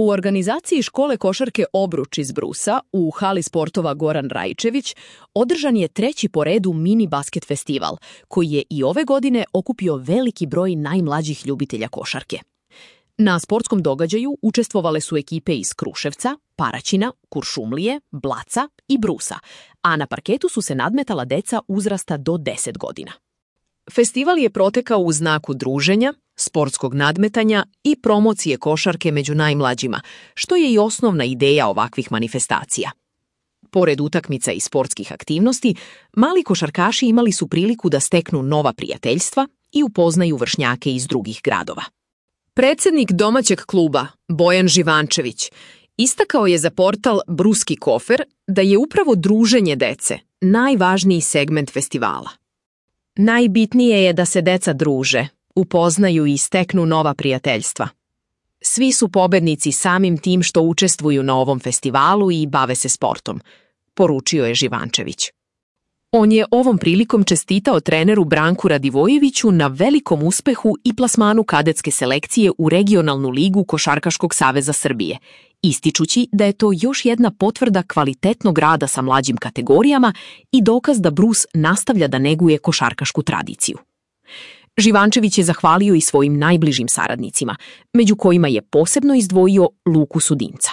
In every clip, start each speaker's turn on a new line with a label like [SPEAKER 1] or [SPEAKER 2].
[SPEAKER 1] U organizaciji škole košarke Obruč iz Brusa u hali sportova Goran Rajčević održan je 3. po redu mini basket festival, koji je i ove godine okupio veliki broj najmlađih ljubitelja košarke. Na sportskom događaju učestvovale su ekipe iz Kruševca, Paraćina, Kuršumlije, Blaca i Brusa, a na parketu su se nadmetala deca uzrasta do 10 godina. Festival je protekao u znaku druženja, sportskog nadmetanja i promocije košarke među najmlađima, što je i osnovna ideja ovakvih manifestacija. Pored utakmica i sportskih aktivnosti, mali košarkaši imali su priliku da steknu nova prijateljstva i upoznaju vršnjake iz drugih gradova. Predsjednik domaćeg kluba, Bojan Živančević, istakao je za portal Bruski kofer da je upravo druženje dece najvažniji segment festivala. Najbitnije je da se deca druže, upoznaju i steknu nova prijateljstva. Svi su pobednici samim tim što učestvuju na ovom festivalu i bave se sportom, poručio je Živančević. On je ovom prilikom čestitao treneru Branku Radivojeviću na velikom uspehu i plasmanu kadetske selekcije u regionalnu ligu Košarkaškog saveza Srbije, ističući da je to još jedna potvrda kvalitetnog rada sa mlađim kategorijama i dokaz da Brus nastavlja da neguje košarkašku tradiciju. Živančević je zahvalio i svojim najbližim saradnicima, među kojima je posebno izdvojio Luku Sudinca.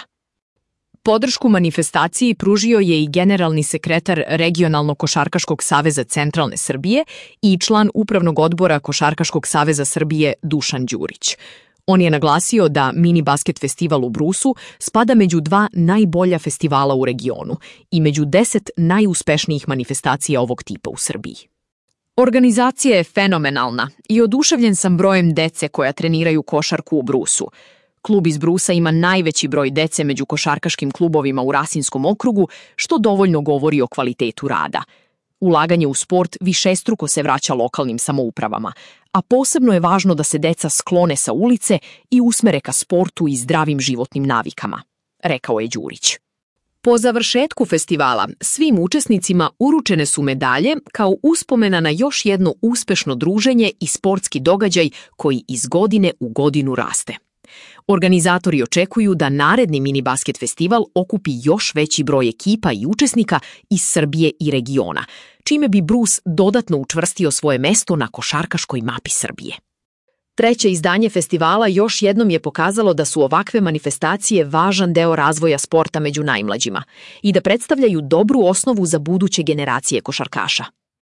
[SPEAKER 1] Podršku manifestaciji pružio je i generalni sekretar Regionalnog košarkaškog saveza Centralne Srbije i član Upravnog odbora Košarkaškog saveza Srbije Dušan Đurić. On je naglasio da mini basket festival u Brusu spada među 2 najbolja festivala u regionu i među 10 najuspešnijih manifestacija ovog tipa u Srbiji. Organizacija je fenomenalna i oduševljen sam brojem dece koja treniraju košarku u Brusu. Klub iz Brusa ima najveći broj dece među košarkaškim klubovima u Rasinskom okrugu, što dovoljno govori o kvalitetu rada. Ulaganje u sport višestruko se vraća lokalnim samoupravama, a posebno je važno da se deca sklone sa ulice i usmere ka sportu i zdravim životnim navikama, rekao je Đurić. Po završetku festivala svim učesnicima uručene su medalje kao uspomena na još jedno uspešno druženje i sportski događaj koji iz godine u godinu raste. Organizatori očekuju da naredni mini basket festival okupi još veći broj ekipa i učesnika iz Srbije i regiona, čime bi Brus dodatno učvrstio svoje mesto na košarkaškoj mapi Srbije. 3. izdanje festivala još jednom je pokazalo da su ovakve manifestacije važan deo razvoja sporta među najmlađima i da predstavljaju dobru osnovu za buduće generacije košarkaša.